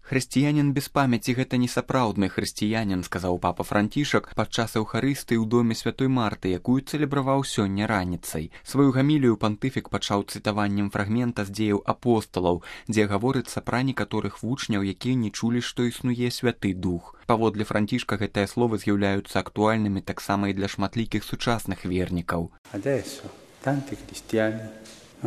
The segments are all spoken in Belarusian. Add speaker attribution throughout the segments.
Speaker 1: Хрысціянін без памяці гэта не сапраўдны хрысціянін, сказаў папа Францішак падчас эўхарыстыі ў доме святой Марты, якую цэлебраваў сёння раніцай. Сваю гамілію пантыфік пачаў цытаваннем фрагмента з дзеяў апосталаў, дзе гаворыцца пра некаторых вучняў, якія не чулі, што існуе святы дух. Паводле Францішка гэтыя словы з'яўляюцца актуальнымі таксама і для шматлікіх сучасных вернікаў.
Speaker 2: Adesso tanti cristiani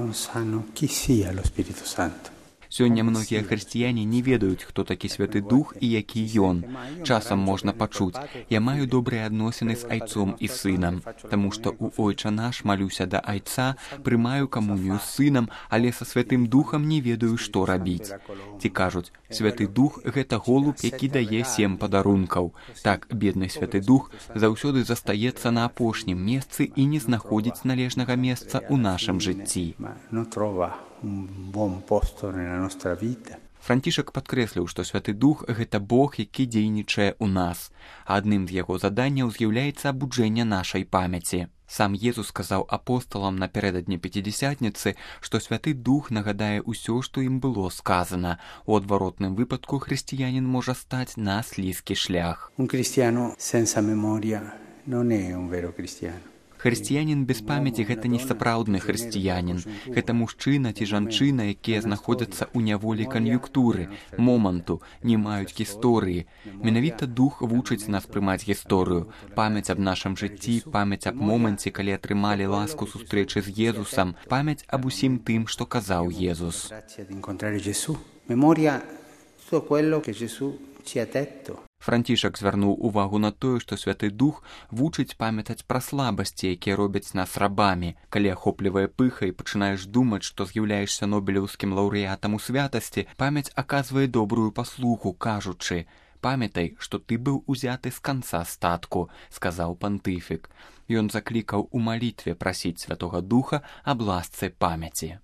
Speaker 2: non sanno chi sia lo Spirito Santo.
Speaker 1: Сёння многія хрысціяне не ведаюць, хто такі святы дух і які ён. Часам можна пачуць: я маю добрыя адносіны з айцом і сынам, таму што ў Ойча наш малюся да айца, прымаю камунію з сынам, але са святым духам не ведаю, што рабіць. Ці кажуць: святы дух – гэта голуб, які дае 7 падарункаў. Так, бедны святы дух заўсёды застаецца на апошнім месцы і не знаходзіць належнага месца ў нашым жыцці. Францішак падкрэсліў, што святы дух – гэта Бог, які дзейнічае ў нас. Адным з яго заданняў з'яўляецца абуджэнне нашай памяці. Сам Езус сказаў апосталам напярэдадні Пяцідзясятніцы, што святы дух нагадае ўсё, што ім было сказана. У адваротным выпадку хрысціянін можа стаць на слізкі шлях.
Speaker 2: Un cristiano senza memoria non è un vero cristiano.
Speaker 1: Хрысціянін без памяці – гэта не сапраўдны хрысціянін. Гэта мужчына ці жанчына, якія знаходзяцца ў няволі кан'юнктуры, моманту, не маюць гісторыі. Менавіта дух вучыць нас прымаць гісторыю. Памяць аб нашым жыцці, памяць аб моманце, калі атрымалі ласку сустрэчы з Езусам, памяць аб усім тым, што казаў Езус.
Speaker 2: Memoria tutto quello che Gesù ci ha detto.
Speaker 1: Францішак звярнуў увагу на тое, што святы дух вучыць памятаць пра слабасці, якія робяць нас рабамі. Калі ахоплівае пыха і пачынаеш думаць, што з'яўляешся нобелеўскім лаўрэатам у святасці, памяць аказвае добрую паслугу, кажучы: «Памятай, што ты быў узяты з канца статку», – сказаў пантыфік. Ён заклікаў у малітве прасіць Святога Духа аб ласцы памяці.